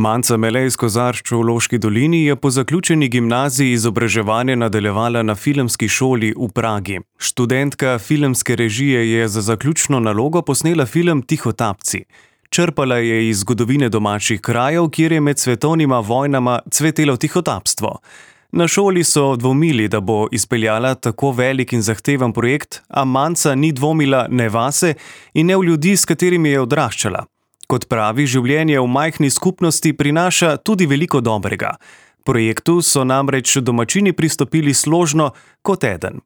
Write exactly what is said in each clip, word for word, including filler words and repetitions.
Manca Mele iz Kozarč v Loški dolini je po zaključeni gimnaziji izobraževanje nadaljevala na filmski šoli v Pragi. Študentka filmske režije je za zaključno nalogo posnela film Tihotapci. Črpala je iz zgodovine domačih krajev, kjer je med svetovnima vojnama cvetelo tihotapstvo. Na šoli so dvomili, da bo izpeljala tako velik in zahteven projekt, a Manca ni dvomila ne vase in ne v ljudi, s katerimi je odraščala. Kot pravi, življenje v majhni skupnosti prinaša tudi veliko dobrega. Projektu so namreč domačini pristopili složno kot eden.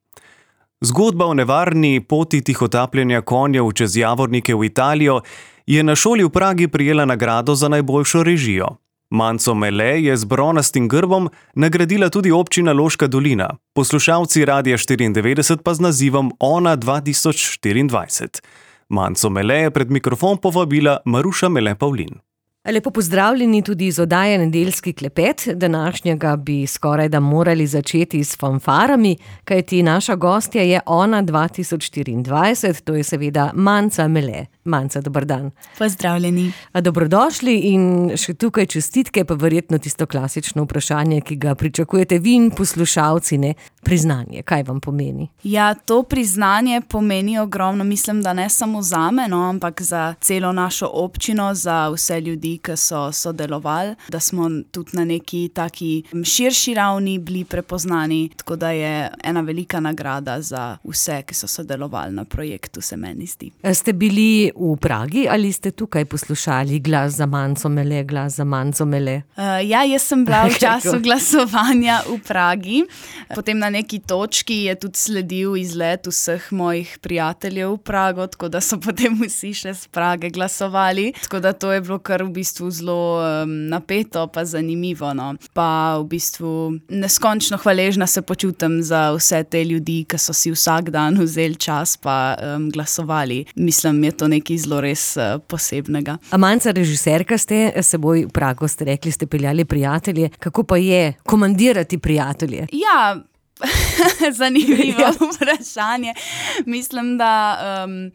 Zgodba o nevarni poti tihotapljenja konjev čez Javornike v Italijo je na šoli v Pragi prejela nagrado za najboljšo režijo. Manco Mele je z bronastim grbom nagradila tudi občina Loška dolina, poslušalci Radia štiriindevetdeset pa z nazivom Ona dva tisoč štiriindvajset. Manco Mele je pred mikrofon povabila Maruša Mele Pavlin. Lepo pozdravljeni tudi iz oddaje Nedeljski klepet. Današnjega bi skoraj da morali začeti s fanfarami, kajti naša gostja je Ona dva tisoč štiriindvajset, to je seveda Manca Mele. Manca, dober dan. Pozdravljeni. Dobrodošli in še tukaj čestitke, pa verjetno tisto klasično vprašanje, ki ga pričakujete vi in poslušalci, ne? Priznanje, kaj vam pomeni? Ja, to priznanje pomeni ogromno, mislim, da ne samo zame, no, ampak za celo našo občino, za vse ljudi, ki so sodelovali, da smo tudi na neki taki širši ravni bili prepoznani, tako da je ena velika nagrada za vse, ki so sodelovali na projektu, se meni zdi. Ste bili v Pragi ali ste tukaj poslušali glas za Manco Mele, glas za Manco Mele? Uh, ja, jaz sem bila v času glasovanja v Pragi. Potem na neki točki je tudi sledil izlet vseh mojih prijateljev v Prago, tako da so potem vsi še z Prage glasovali. Tako da to je bilo kar v bistvu zelo um, napeto pa zanimivo. No. Pa v bistvu neskončno hvaležna se počutim za vse te ljudi, ki so si vsak dan vzeli čas pa um, glasovali. Mislim, je to nekaj zelo res uh, posebnega. A Manca, režiserka ste, seboj v Prago ste rekli, ste peljali prijatelje. Kako pa je komandirati prijatelje? Ja, zanimivo vprašanje. Mislim, da... Um,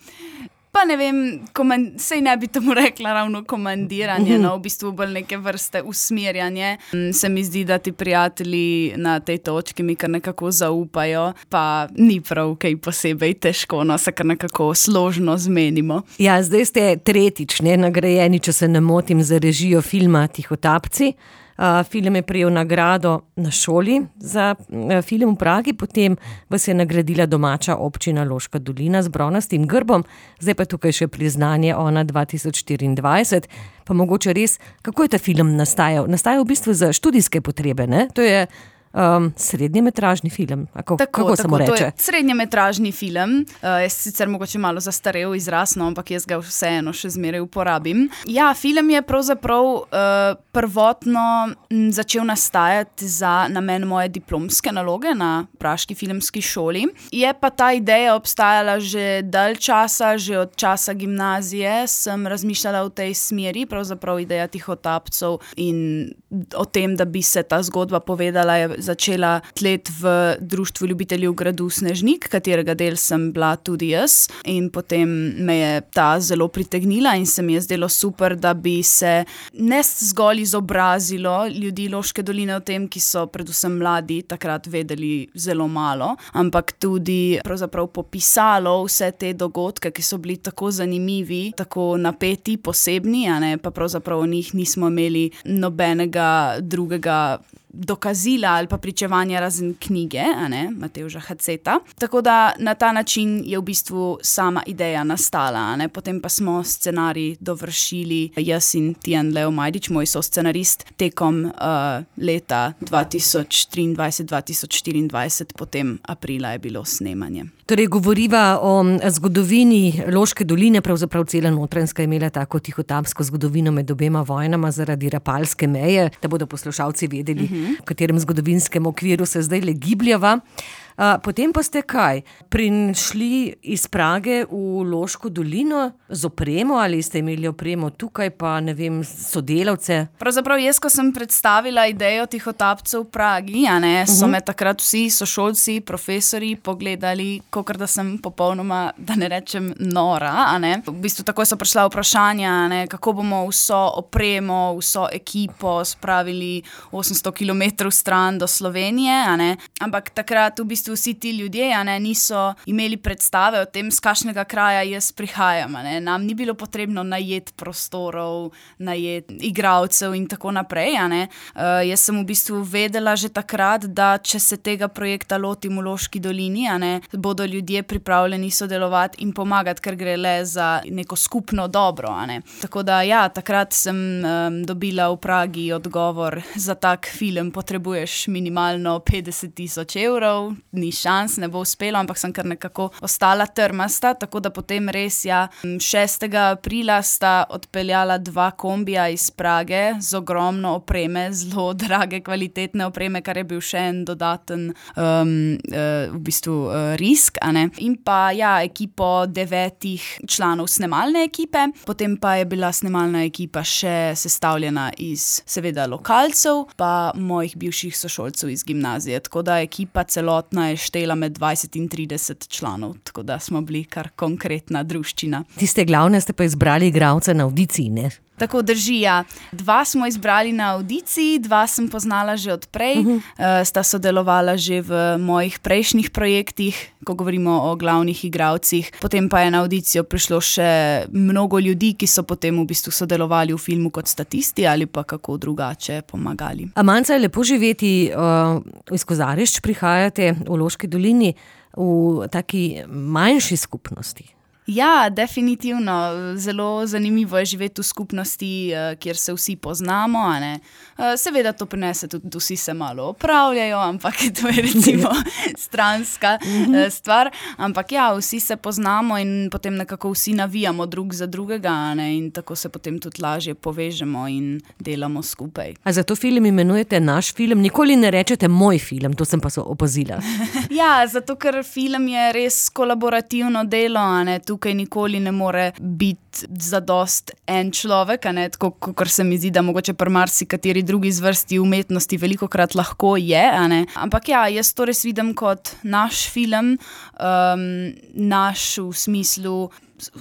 Pa ne vem, komand- sej ne bi tomu rekla ravno komandiranje, no, v bistvu bolj neke vrste usmerjanje. Se mi zdi, da ti prijatelji na tej točki mi kar nekako zaupajo, pa ni prav kaj posebej težko, no, se kar nekako složno zmenimo. Ja, zdaj ste tretjič, ne, nagrajeni, če se ne motim, za režijo filma Tihotapci. Uh, film je prejel nagrado na šoli za uh, film v Pragi, potem vas je nagradila domača občina Loška dolina z bronastim grbom, zdaj pa tukaj še priznanje Ona dva tisoč štiriindvajset. Pa mogoče res, kako je ta film nastajal? Nastajal v bistvu za študijske potrebe, ne? To je Um, srednjemetražni film, kako, tako, kako se mu reče? To je srednjemetražni film, uh, je sicer mogoče malo zastarel izraz, no, ampak jaz ga vseeno še zmeraj uporabim. Ja, film je pravzaprav uh, prvotno m, začel nastajati za namen moje diplomske naloge na praški filmski šoli. Je pa ta ideja obstajala že dalj časa, že od časa gimnazije sem razmišljala v tej smeri, pravzaprav ideja Tihotapcev in o tem, da bi se ta zgodba povedala, je začela tlet v Društvu ljubiteljev gradu Snežnik, katerega del sem bila tudi jaz, in potem me je ta zelo pritegnila in se mi je zdelo super, da bi se ne zgolj izobrazilo ljudi Loške doline o tem, ki so predvsem mladi takrat vedeli zelo malo, ampak tudi pravzaprav popisalo vse te dogodke, ki so bili tako zanimivi, tako napeti, posebni, a ne, pa pravzaprav o njih nismo imeli nobenega drugega dokazila ali pa pričevanja razen knjige, a ne, Matevža Haceta. Tako da na ta način je v bistvu sama ideja nastala, a ne. Potem pa smo scenarij dovršili jaz in Tijan Leo Majdič, moj soscenarist, tekom uh, leta dva tisoč triindvajset dva tisoč štiriindvajset, potem aprila je bilo snemanje. Torej, govoriva o zgodovini Loške doline, pravzaprav cela Notranjska je imela tako tihotapsko zgodovino med obema vojnama zaradi Rapalske meje, da bodo poslušalci vedeli, uh-huh. v katerem zgodovinskem okviru se zdaj le gibljava. Uh, potem pa ste kaj? Prišli iz Prage v Loško dolino z opremo ali ste imeli opremo tukaj pa, ne vem, sodelavce? Pravzaprav jaz, ko sem predstavila idejo tihotapcev v Pragi, a ne, so uh-huh. me takrat vsi sošolci, profesori pogledali, kakor da sem popolnoma, da ne rečem, nora, a ne. V bistvu takoj so prišla vprašanja, a ne, kako bomo vso opremo, vso ekipo spravili osemsto kilometrov stran do Slovenije, a ne. Ampak takrat v bistvu vsi ti ljudje, a ne, niso imeli predstave o tem, z kakšnega kraja jaz prihajam, a ne. Nam ni bilo potrebno najeti prostorov, najeti igralcev in tako naprej, a ne. Uh, jaz sem v bistvu vedela že takrat, da če se tega projekta lotim v Loški dolini, a ne, bodo ljudje pripravljeni sodelovati in pomagati, ker gre le za neko skupno dobro, a ne. Tako da ja, takrat sem um, dobila v Pragi odgovor, za tak film potrebuješ minimalno petdeset tisoč evrov, ni šans, ne bo uspelo, ampak sem kar nekako ostala trmasta, tako da potem res ja, šestega aprila sta odpeljala dva kombija iz Prage z ogromno opreme, zelo drage, kvalitetne opreme, kar je bil še en dodaten um, uh, v bistvu uh, risk, a ne. In pa ja, ekipo devetih članov snemalne ekipe, potem pa je bila snemalna ekipa še sestavljena iz seveda lokalcev, pa mojih bivših sošolcev iz gimnazije, tako da ekipa celotna je štela med dvajset in trideset članov, tako da smo bili kar konkretna druščina. Tiste glavne ste pa izbrali igralce na avdiciji, ne? Tako drži, ja. Dva smo izbrali na avdiciji, dva sem poznala že odprej, uh-huh. uh, sta sodelovala že v mojih prejšnjih projektih, ko govorimo o glavnih igralcih. Potem pa je na avdicijo prišlo še mnogo ljudi, ki so potem v bistvu sodelovali v filmu kot statisti ali pa kako drugače pomagali. Amanca, je lepo živeti, uh, iz Kozarišč prihajate v Loški dolini v taki manjši skupnosti. Ja, definitivno. Zelo zanimivo je živeti v skupnosti, kjer se vsi poznamo, a ne. Seveda to prinese tudi, vsi se malo opravljajo, ampak to je recimo stranska stvar. Ampak ja, vsi se poznamo in potem nekako vsi navijamo drug za drugega, a ne, in tako se potem tudi lažje povežemo in delamo skupaj. A zato film imenujete naš film? Nikoli ne rečete moj film, to sem pa so opazila. Ja, zato ker film je res kolaborativno delo, a ne, tukaj nikoli ne more biti zadost en človek, a ne, tako kot se mi zdi, da mogoče pri marsikateri drugi zvrsti umetnosti velikokrat lahko je, a ne. Ampak ja, jaz to res vidim kot naš film, um, naš v smislu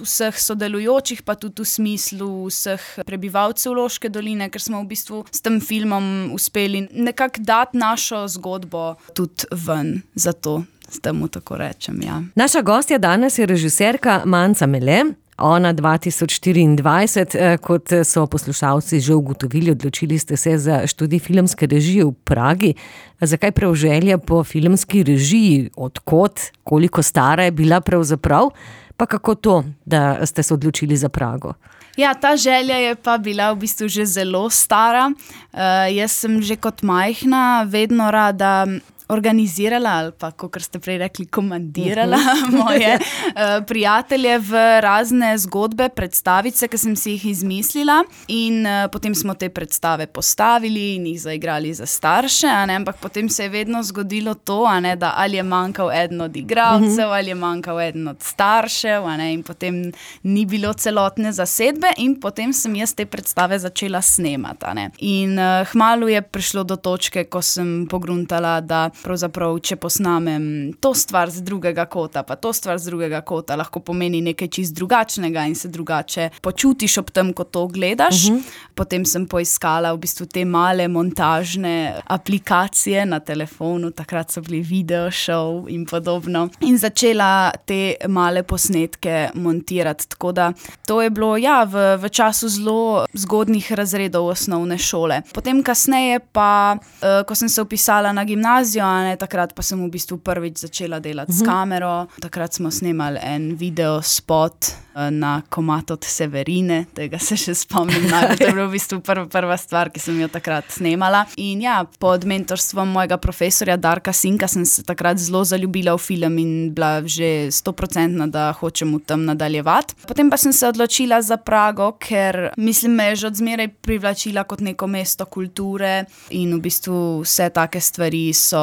vseh sodelujočih, pa tudi v smislu vseh prebivalcev Loške doline, ker smo v bistvu s tem filmom uspeli nekako dati našo zgodbo tudi ven, zato s temu tako rečem, ja. Naša gostja danes je režiserka Manca Mele. Ona dva tisoč štiriindvajset, kot so poslušalci že ugotovili, odločili ste se za študij filmske režije v Pragi. Zakaj prav želja po filmski režiji? Odkot? Koliko stara je bila pravzaprav? Pa kako to, da ste se odločili za Prago? Ja, ta želja je pa bila v bistvu že zelo stara. Uh, jaz sem že kot majhna vedno rada organizirala ali pa, kakor ste prej rekli, komandirala moje uh, prijatelje v razne zgodbe, predstavice, ki sem si jih izmislila in uh, potem smo te predstave postavili in jih zaigrali za starše, a ne, ampak potem se je vedno zgodilo to, a ne, da ali je manjkal eden od igralcev, ali je manjkal eden od staršev, a ne, in potem ni bilo celotne zasedbe in potem sem jaz te predstave začela snemati, a ne. In uh, hmalu je prišlo do točke, ko sem pogruntala, da pravzaprav, če posnamem to stvar z drugega kota, pa to stvar z drugega kota, lahko pomeni nekaj čist drugačnega in se drugače počutiš ob tem, ko to gledaš. Uh-huh. Potem sem poiskala v bistvu te male montažne aplikacije na telefonu, takrat so bili video show in podobno, in začela te male posnetke montirati, tako da to je bilo, ja, v, v času zelo zgodnjih razredov osnovne šole. Potem kasneje pa, uh, ko sem se vpisala na gimnazijo, ne, takrat pa sem v bistvu prvič začela delati uh-huh. s kamero. Takrat smo snemali en video spot na komad od Severine, tega se še spomnim. To je bila v bistvu prva, prva stvar, ki sem jo takrat snemala. In ja, pod mentorstvom mojega profesorja Darka Sinka sem se takrat zelo zaljubila v film in bila že stoprocentna, da hočem v tem nadaljevati. Potem pa sem se odločila za Prago, ker mislim, me je že od zmeraj privlačila kot neko mesto kulture in v bistvu vse take stvari so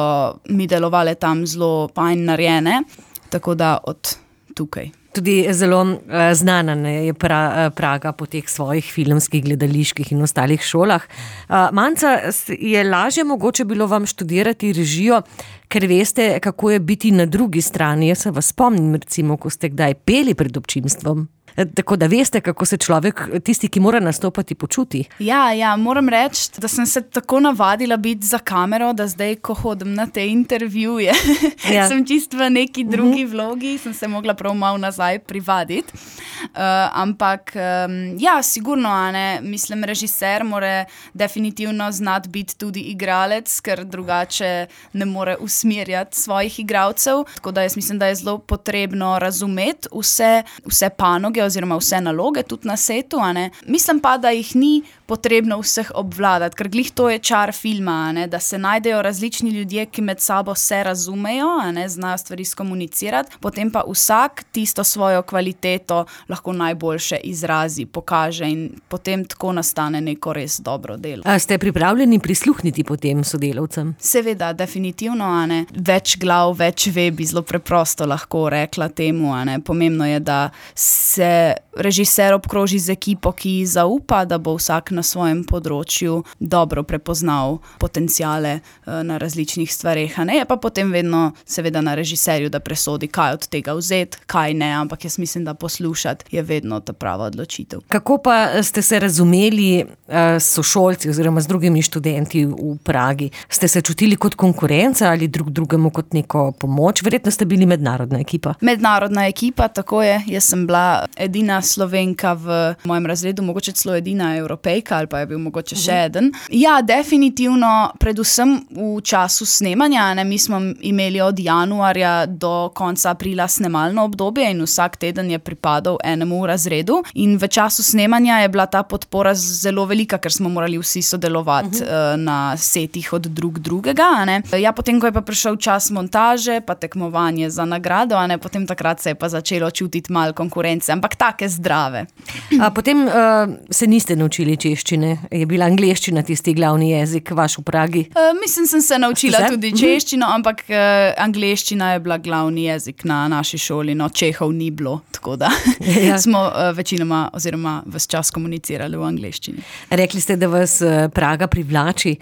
mi delovale tam zelo fajn narejene, tako da od tukaj. Tudi zelo uh, znana je pra, Praga po teh svojih filmskih, gledaliških in ostalih šolah. Uh, Manca, je lažje mogoče bilo vam študirati režijo, ker veste, kako je biti na drugi strani. Jaz se vas spomnim, recimo, ko ste kdaj peli pred občinstvom. Tako da veste, kako se človek, tisti, ki mora nastopati, počuti. Ja, ja, moram reči, da sem se tako navadila biti za kamero, da zdaj, ko hodim na te intervjuje, ja. sem čisto v neki drugi uh-huh. vlogi, sem se mogla prav malo nazaj privaditi. Uh, ampak, um, ja, sigurno, ne, mislim, režiser mora definitivno znati biti tudi igralec, ker drugače ne more usmerjati svojih igralcev. Tako da jaz mislim, da je zelo potrebno razumeti vse, vse panoge oziroma vse naloge tudi na setu, a ne. Mislim pa, da jih ni potrebno vseh obvladati, ker glih to je čar filma, a ne, da se najdejo različni ljudje, ki med sabo se razumejo, a ne, znajo stvari skomunicirati, potem pa vsak tisto svojo kvaliteto lahko najboljše izrazi, pokaže in potem tako nastane neko res dobro delo. A ste pripravljeni prisluhniti potem sodelavcem? Seveda, definitivno, a ne. Več glav, več ve, bi zelo preprosto lahko rekla temu, a ne. Pomembno je, da se režiser obkroži z ekipo, ki zaupa, da bo vsak na svojem področju dobro prepoznal potenciale na različnih stvareh. Ne, je pa potem vedno seveda na režiserju, da presodi, kaj od tega vzeti, kaj ne, ampak jaz mislim, da poslušati je vedno ta prava odločitev. Kako pa ste se razumeli s sošolci oziroma z drugimi študenti v Pragi? Ste se čutili kot konkurenca ali drug drugemu kot neko pomoč? Verjetno ste bili mednarodna ekipa. Mednarodna ekipa, tako je. Jaz sem bila edina Slovenka v mojem razredu, mogoče celo edina Evropejka, ali pa je bil mogoče še eden. Ja, definitivno, predvsem v času snemanja, ne, mi smo imeli od januarja do konca aprila snemalno obdobje in vsak teden je pripadal enemu razredu in v času snemanja je bila ta podpora zelo velika, ker smo morali vsi sodelovati uh-huh. na setih od drug drugega, a ne. Ja, potem, ko je pa prišel čas montaže, pa tekmovanje za nagrado, a ne, potem takrat se je pa začelo čutiti malo konkurence, ampak take zdrave. A potem uh, se niste naučili češčine? Je bila angleščina tisti glavni jezik vaš v Pragi? Uh, mislim, sem se naučila tudi češčino, ampak uh, angleščina je bila glavni jezik na naši šoli, no Čehov ni bilo, tako da ja. smo uh, večinoma oziroma ves čas komunicirali v angleščini. Rekli ste, da vas uh, Praga privlači.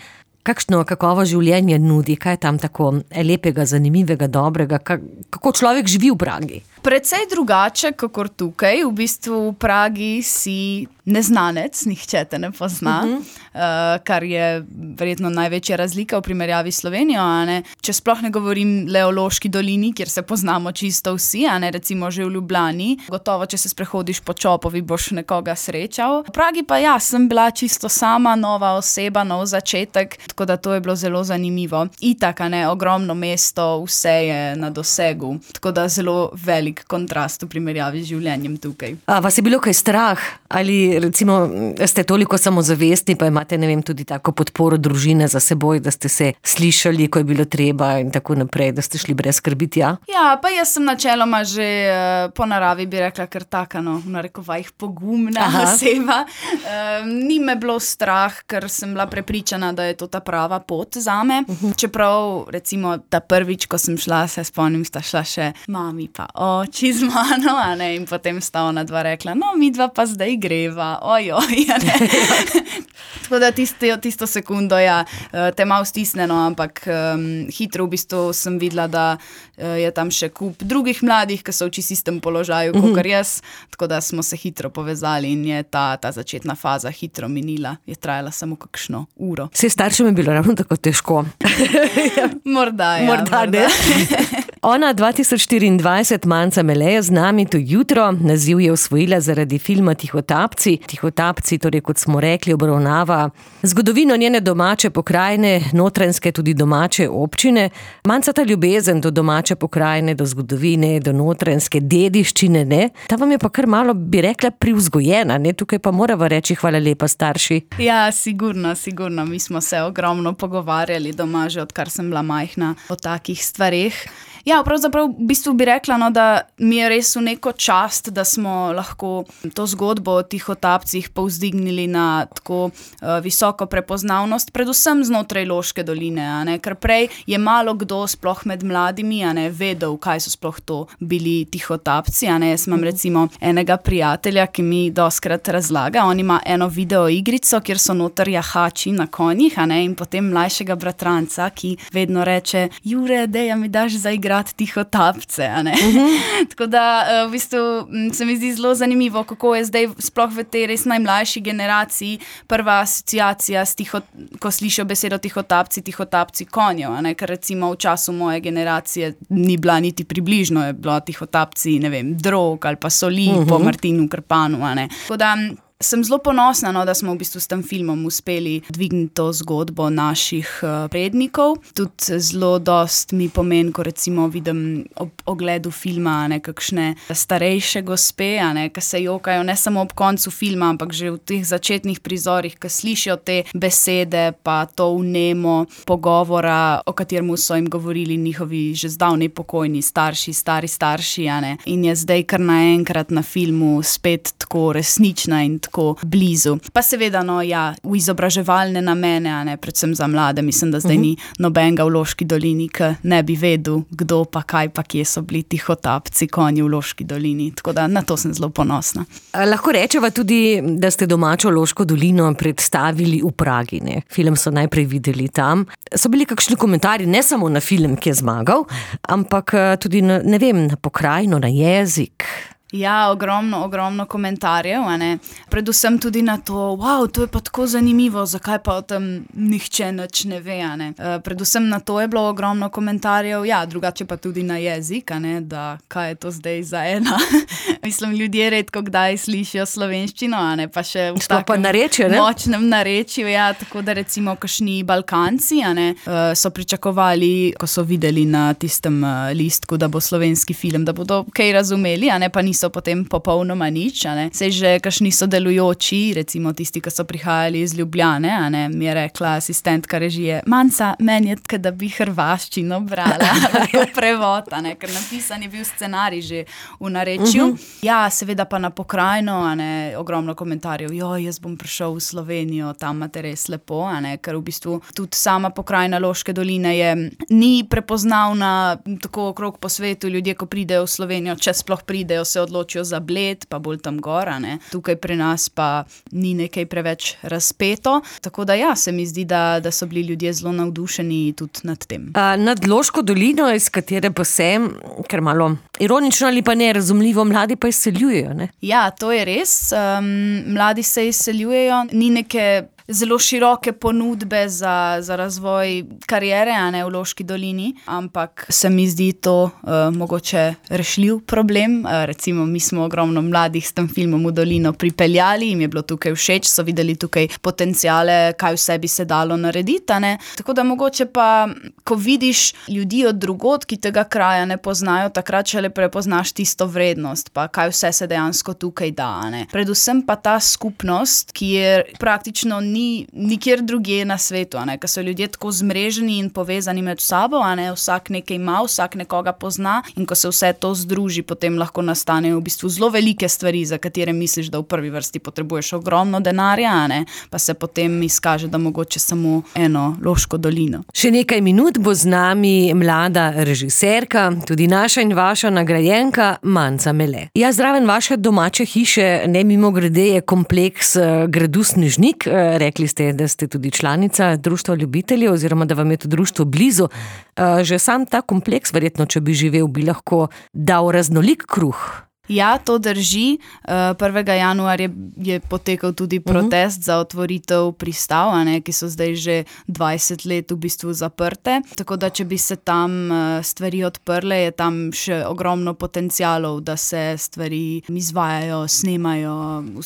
Kakšno kakovo življenje nudi? Kaj je tam tako lepega, zanimivega, dobrega? Kako človek živi v Pragi? Precej drugače, kakor tukaj. V bistvu v Pragi si neznanec, nihče te ne pozna, uh-huh. uh, kar je verjetno največja razlika v primerjavi s Slovenijo, a ne. Če sploh ne govorim le o Loški dolini, kjer se poznamo čisto vsi, a ne, recimo že v Ljubljani. Gotovo, če se sprehodiš po Čopovi, boš nekoga srečal. V Pragi pa ja, sem bila čisto sama, nova oseba, nov začetek, tako da to je bilo zelo zanimivo. Itak, a ne, ogromno mesto, vse je na dosegu, tako da zelo velik kontrast v primerjavi z življenjem tukaj. A vas je bilo kaj strah? Ali recimo ste toliko samozavestni, pa imate, ne vem, tudi tako podporo družine za seboj, da ste se slišali, ko je bilo treba in tako naprej, da ste šli brez skrbi tja? Ja, pa jaz sem načeloma že uh, po naravi bi rekla kar taka, no, v narekovajih pogumna Aha. oseba. Uh, ni me bilo strah, ker sem bila prepričana, da je to ta prava pot zame. Uh-huh. Čeprav, recimo, ta prvič, ko sem šla, se spomnim, sta šla še mami pa oči z mano, a ne, in potem sta ona dva rekla, no, mi dva pa zdaj greva, ojoj, a ne. Tako da tisto, tisto sekundo, ja, te malo stisneno, ampak um, hitro v bistvu sem videla, da uh, je tam še kup drugih mladih, ki so v čisto istem položaju, mm-hmm. kakor jaz, tako da smo se hitro povezali in je ta, ta začetna faza hitro minila, je trajala samo kakšno uro. Vse staršem je bilo ravno tako težko. Morda, ja. Morda, morda. Ne. Ona dva tisoč štiriindvajset, Manca Mele, je z nami to jutro. Naziv je osvojila zaradi filma Tihotapci. Tihotapci, torej kot smo rekli, obravnava zgodovino njene domače pokrajine, notranjske tudi domače občine. Manca, ta ljubezen do domače pokrajine, do zgodovine, do notranjske dediščine, ne? Ta vam je pa kar malo, bi rekla, privzgojena, ne? Tukaj pa morava reči hvala lepa, starši. Ja, sigurno, sigurno. Mi smo se ogromno pogovarjali doma, že odkar sem bila majhna, o takih stvareh. Ja, pravzaprav v bistvu bi rekla, no, da mi je res v neko čast, da smo lahko to zgodbo o Tihotapcih povzdignili na tako uh, visoko prepoznavnost, predvsem znotraj Loške doline, a ne, ker prej je malo kdo sploh med mladimi, a ne, vedel, kaj so sploh to bili Tihotapci, a ne. Jaz imam recimo enega prijatelja, ki mi doskrat razlaga, on ima eno video igrico, kjer so noter jahači na konjih, a ne, in potem mlajšega bratranca, ki vedno reče: Jure, dej, mi daš zaigrati Tihotapce, a ne. Uh-huh. Tako da v bistvu se mi zdi zelo zanimivo, kako je zdaj sploh v tej res najmlajši generaciji prva asociacija, tiho, ko slišijo besedo Tihotapci, Tihotapci konjev, a ne, ker recimo v času moje generacije ni bila niti približno, je bilo Tihotapci, ne vem, drog ali pa soli uh-huh. po Martinu Krpanu, a ne. Tako da sem zelo ponosna, no, da smo v bistvu s tem filmom uspeli dvigniti to zgodbo naših uh, prednikov. Tudi zelo dost mi pomeni, ko recimo vidim ob ogledu filma nekakšne starejše gospe, a ne, ki se jokajo ne samo ob koncu filma, ampak že v teh začetnih prizorih, ki slišijo te besede, pa to vnemo pogovora, o katerem so jim govorili njihovi že zdavnej pokojni starši, stari starši, a ne. In je zdaj kar naenkrat na filmu spet tako resnična in tako blizu. Pa seveda, no, ja, v izobraževalne namene, a ne, predvsem za mlade. Mislim, da zdaj uh-huh. ni nobenega v Loški dolini, ki ne bi vedel, kdo pa kaj pa kje so bili Tihotapci, konji v Loški dolini. Tako da na to sem zelo ponosna. Lahko rečeva tudi, da ste domačo Loško dolino predstavili v Pragi, ne? Film so najprej videli tam. So bili kakšni komentarji, ne samo na film, ki je zmagal, ampak tudi na, ne vem, na pokrajino, na jezik. Ja, ogromno, ogromno komentarjev, a ne. Predvsem tudi na to, wow, to je pa tako zanimivo, zakaj pa o tem nihče nič ne ve, a ne. Uh, predvsem na to je bilo ogromno komentarjev, ja, drugače pa tudi na jezik, a ne, da kaj je to zdaj za ena. Mislim, ljudje redko kdaj slišijo slovenščino, a ne, pa še v takem narečju, ne? močnem narečju, ja, tako da recimo kakšni Balkanci, a ne, uh, so pričakovali, ko so videli na tistem uh, listku, da bo slovenski film, da bodo kaj razumeli, a ne, pa niso potem popolnoma nič, a ne. Sej že kakšni sodelujoči, recimo tisti, ki so prihajali iz Ljubljane, a ne, mi je rekla asistentka režije: Manca, meni je, da bi hrvaščino brala, prevod, a ne, ker napisan je bil scenarij že v narečju. Uh-huh. Ja, seveda pa na pokrajino, a ne, ogromno komentarjev, jo, jaz bom prišel v Slovenijo, tam imate res lepo, a ne, ker v bistvu tudi sama pokrajina Loške doline je, ni prepoznavna tako okrog po svetu. Ljudje, ko pridejo v Slovenijo, če sploh pridejo, se odločijo za Bled, pa bolj tam gora, ne. Tukaj pri nas pa ni nekaj preveč razpeto, tako da ja, se mi zdi, da, da so bili ljudje zelo navdušeni tudi nad tem. A, nad Loško dolino, iz katere pa sem, ker malo ironično ali pa nerazumljivo, mladi pa izseljujejo, ne? Ja, to je res, um, mladi se izseljujejo, ni neke zelo široke ponudbe za, za razvoj kariere, a ne, v Loški dolini, ampak se mi zdi to uh, mogoče rešljiv problem. Uh, recimo, mi smo ogromno mladih s tem filmom v dolino pripeljali, jim je bilo tukaj všeč, so videli tukaj potenciale, kaj vse bi se dalo narediti, a ne. Tako da mogoče pa, ko vidiš ljudi od drugod, ki tega kraja ne poznajo, takrat šele prepoznaš tisto vrednost, pa kaj vse se dejansko tukaj da, a ne. Predvsem pa ta skupnost, ki je praktično ni nikjer drugje na svetu, a ne, ker so ljudje tako zmreženi in povezani med sabo, a ne, vsak nekaj ima, vsak nekoga pozna, in ko se vse to združi, potem lahko nastanejo v bistvu zelo velike stvari, za katere misliš, da v prvi vrsti potrebuješ ogromno denarja, a ne, pa se potem izkaže, da mogoče samo eno Loško dolino. Še nekaj minut bo z nami mlada režiserka, tudi naša in vaša nagrajenka Manca Mele. Ja, zraven vaše domače hiše, ne mimogrede, je kompleks gradu Snežnik. Rekli ste, da ste tudi članica društva ljubiteljev oziroma da vam je to društvo blizu. Že sam ta kompleks, verjetno, če bi živel, bi lahko dal raznolik kruh Ja, to drži. prvega januarja je potekal tudi protest uh-huh. za otvoritev pristav, a ne, ki so zdaj že dvajset let v bistvu zaprte. Tako da, če bi se tam stvari odprle, je tam še ogromno potencialov, da se stvari izvajajo, snemajo,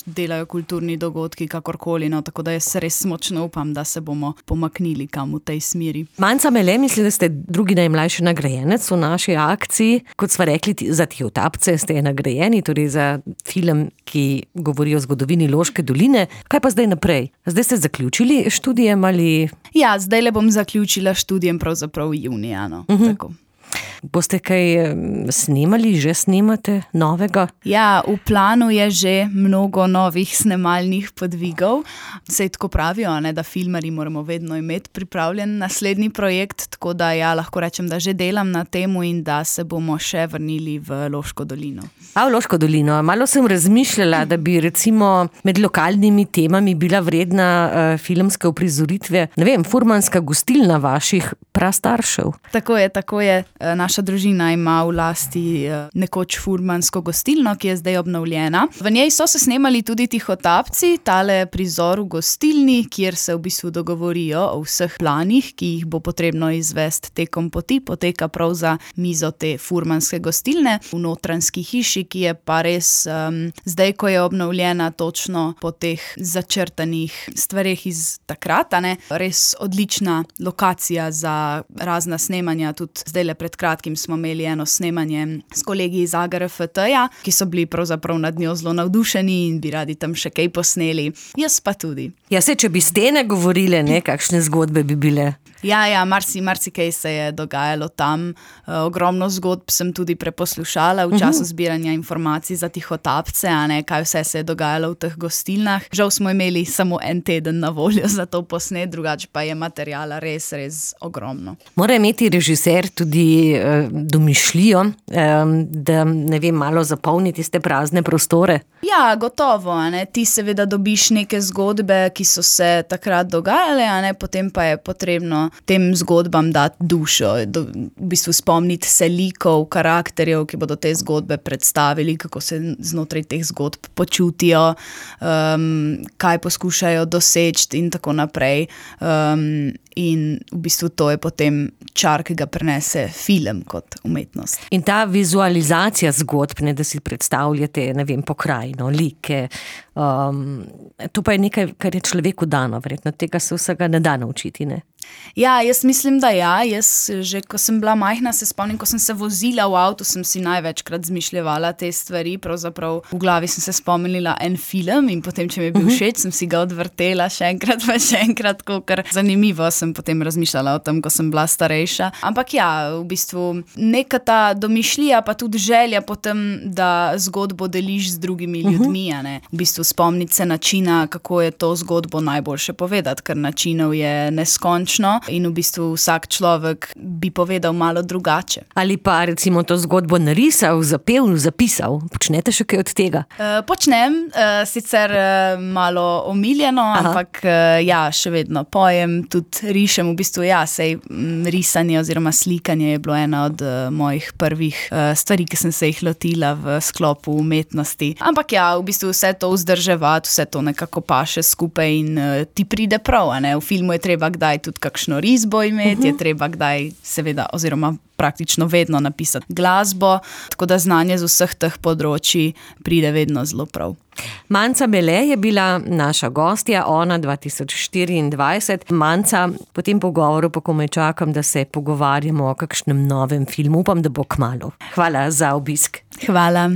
delajo kulturni dogodki, kakorkoli. No. Tako da jaz res močno upam, da se bomo pomaknili kam v tej smeri. Manca Mele, mislim, da ste drugi najmlajši nagrajenec v naši akciji. Kot sva rekli, za Tihotapce ste nagrajeni. Torej za film, ki govori o zgodovini Loške doline. Kaj pa zdaj naprej? Zdaj ste zaključili študijem ali? Ja, zdaj le bom zaključila študijem pravzaprav junija. No. Uh-huh. Tako. Boste kaj snemali, že snemate novega? Ja, v planu je že mnogo novih snemalnih podvigov. Sej tako pravijo, ne, da filmarji moramo vedno imeti pripravljen naslednji projekt, tako da ja, lahko rečem, da že delam na temu in da se bomo še vrnili v Loško dolino. A v Loško dolino. Malo sem razmišljala, da bi recimo med lokalnimi temami bila vredna uh, filmske uprizoritve, ne vem, furmanska gostilna vaših prastaršev. Tako je, tako je. Naša družina ima v lasti nekoč furmansko gostilno, ki je zdaj obnovljena. V njej so se snemali tudi Tihotapci, tale prizor v gostilni, kjer se v bistvu dogovorijo o vseh planih, ki jih bo potrebno izvesti tekom poti, poteka prav za mizo te furmanske gostilne v notranjski hiši, ki je pa res um, zdaj, ko je obnovljena točno po teh začrtanih stvareh iz takrat, ne, res odlična lokacija za razna snemanja, tudi zdaj le pred kratkim smo imeli eno snemanje s kolegi iz A G R F T-ja, ki so bili pravzaprav nad njo zelo navdušeni in bi radi tam še kaj posneli. Jaz pa tudi. Ja, se, če bi stene govorile, ne, kakšne zgodbe bi bile. Ja, ja, marsi, marsi kaj se je dogajalo tam. E, ogromno zgodb sem tudi preposlušala v času zbiranja informacij za Tihotapce, a ne, kaj vse se je dogajalo v teh gostilnah. Žal smo imeli samo en teden na voljo za to posnet, drugače pa je materiala res, res ogromno. Mora imeti režiser tudi uh, domišljijo, um, da, ne vem, malo zapolniti te prazne prostore? Ja, gotovo, a ne. Ti seveda dobiš neke zgodbe, ki so se takrat dogajale, a ne, potem pa je potrebno tem zgodbam dati dušo, do, v bistvu spomniti se likov, karakterjev, ki bodo te zgodbe predstavili, kako se znotraj teh zgodb počutijo, um, kaj poskušajo doseči in tako naprej. Um, in v bistvu to je potem čar, ki ga prenese film kot umetnost. In ta vizualizacija zgodb, ne, da si predstavljate, ne vem, pokrajino, like, um, to pa je nekaj, kar je človeku dano, verjetno tega se vsega ne da naučiti, ne? Ja, jaz mislim, da ja. Jaz že, ko sem bila majhna, se spomnim, ko sem se vozila v avtu, sem si največkrat zmišljevala te stvari. Pravzaprav v glavi sem se spomnila en film in potem, če mi je bil všeč, sem si ga odvrtela še enkrat, pa še enkrat, ker zanimivo sem potem razmišljala o tem, ko sem bila starejša. Ampak ja, v bistvu neka ta domišljija, pa tudi želja potem, da zgodbo deliš z drugimi ljudmi, a ne. V bistvu spomniti se načina, kako je to zgodbo najboljše povedati, ker načinov je neskončno in v bistvu vsak človek bi povedal malo drugače. Ali pa recimo to zgodbo narisal, zapel, zapisal. Počnete še kaj od tega? Uh, počnem, uh, sicer uh, malo omiljeno, Aha. ampak uh, ja, še vedno pojem, tudi rišem. V bistvu ja, sej m, risanje oziroma slikanje je bilo ena od uh, mojih prvih uh, stvari, ki sem se jih lotila v sklopu umetnosti. Ampak ja, v bistvu vse to vzdrževati, vse to nekako paše skupaj in uh, ti pride prav, a ne? V filmu je treba kdaj tudi kakšno risbo imeti, uh-huh. je treba kdaj seveda oziroma praktično vedno napisati glasbo, tako da znanje z vseh teh področji pride vedno zelo prav. Manca Mele je bila naša gostja, ona dva tisoč štiriindvajset. Manca, po tem pogovoru pa komaj čakam, da se pogovarjamo o kakšnem novem filmu. Upam, da bo kmalu. Hvala za obisk. Hvala.